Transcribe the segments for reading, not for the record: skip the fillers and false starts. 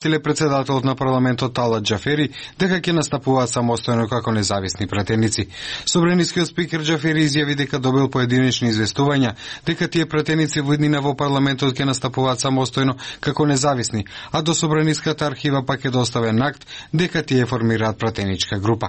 Председателот на парламентот Талат Џафери дека ќе настапуваат самостојно како независни пратеници. Собранискиот спикер Џафери изјави дека добил поединечни известувања дека тие пратеници во иднина во парламентот ќе настапуваат самостојно како независни, а до собраниската архива пак е доставен акт дека тие формираат пратеничка група.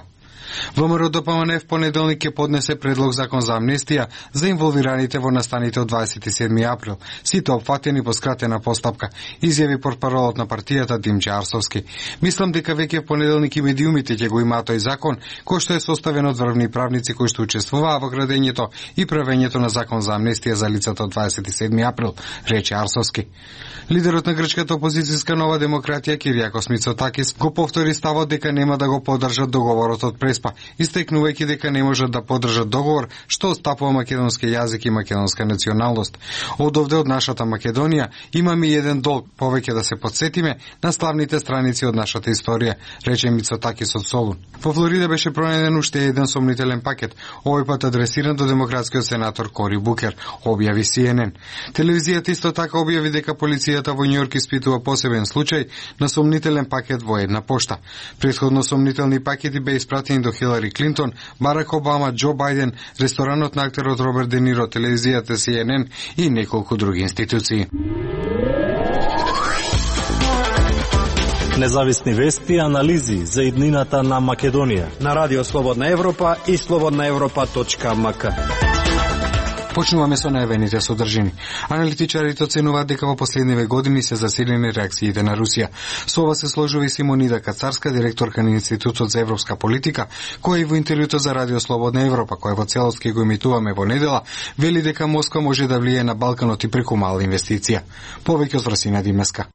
ВМРО ДПМН в понеделник ќе поднесе предлог закон за амнестија за инволвираните во настаните од 27 април, сите опфатени по скратена постапка, изјави портпаролот на партијата Димче Арсовски. Мислам дека веќе в понеделник и медиумите ќе го имаат тој закон, кој што е составен од врвни правници кои што учествуваа во градењето и правењето на закон за амнестија за лицата од 27 април, рече Арсовски. Лидерот на грчката опозицијска Нова демократија Киријакос Мицотакис го повтори ставот дека нема да го поддржат договорот од Преспа, истекнувајќи дека не можат да поддржат договор што отстапува македонски јазик и македонска националност. Одовде од нашата Македонија имаме еден долг повеќе да се подсетиме на славните страници од нашата историја, рече Мицотакис од Солун. Во Флорида беше пронајден уште еден сомнителен пакет, овој пат адресиран до демократскиот сенатор Кори Букер, објави CNN. Телевизијата исто така објави дека полицијата во Њујорк испитува посебен случај на сомнителен пакет во една пошта. Претходно сомнителни пакети беа испратени до Хилари Клинтон, Барак Обама, Џо Бајден, ресторанот на актерот Роберт Де Ниро, телевизијата CNN и неколку други институции. Независни вести и анализи за иднината на Македонија на Радио Слободна Европа и slobodnaevropa.mk. Почнуваме со најавените содржини. Аналитичарите оценуваат дека во последниве години се засилени реакциите на Русија. Со ова се сложува и Симонида Кацарска, директорка на Институтот за европска политика, која и во интервјуто за Радио Слободна Европа, која во целост ќе го емитуваме во недела, вели дека Москва може да влие на Балканот и преку мала инвестиција. Повеќе од Врсина Димеска.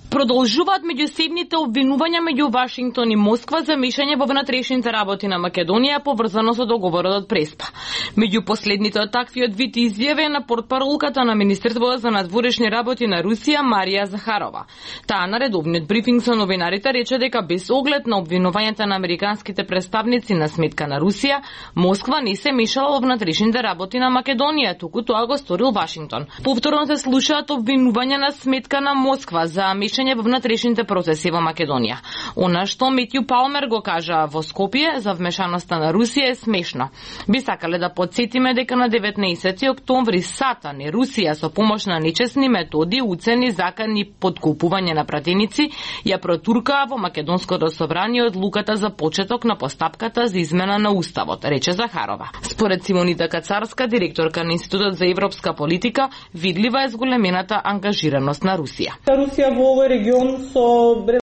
Продолжуваат меѓусебните обвинувања меѓу Вашингтон и Москва за мешање во внатрешните работи на Македонија поврзано со договорот од Преспа. Меѓу последните од таквиот вид изјави на портпаролката на Министерството за надворешни работи на Русија Марија Захарова. Таа на редовниот брифинг со новинарите рече дека без оглед на обвинувањата на американските представници на сметка на Русија, Москва не се мешала во внатрешните работи на Македонија, туку тоа го сторил Вашингтон. Повторно се слушаат обвинувања на сметка на Москва за во внатрешните процеси во Македонија. Она што Метју Палмер го кажа во Скопје за вмешаноста на Русија е смешно. Би сакале да подсетиме дека на 19 октомври Сатан и Русија со помош на нечесни методи, уцени, закани подкупување на пратеници ја протуркаа во Македонското собрание одлуката за почеток на постапката за измена на уставот, рече Захарова. Според Симонида Кацарска, директорка на Институтот за европска политика, видлива е зголемената ангажираност на Русија. Русија во овој регион со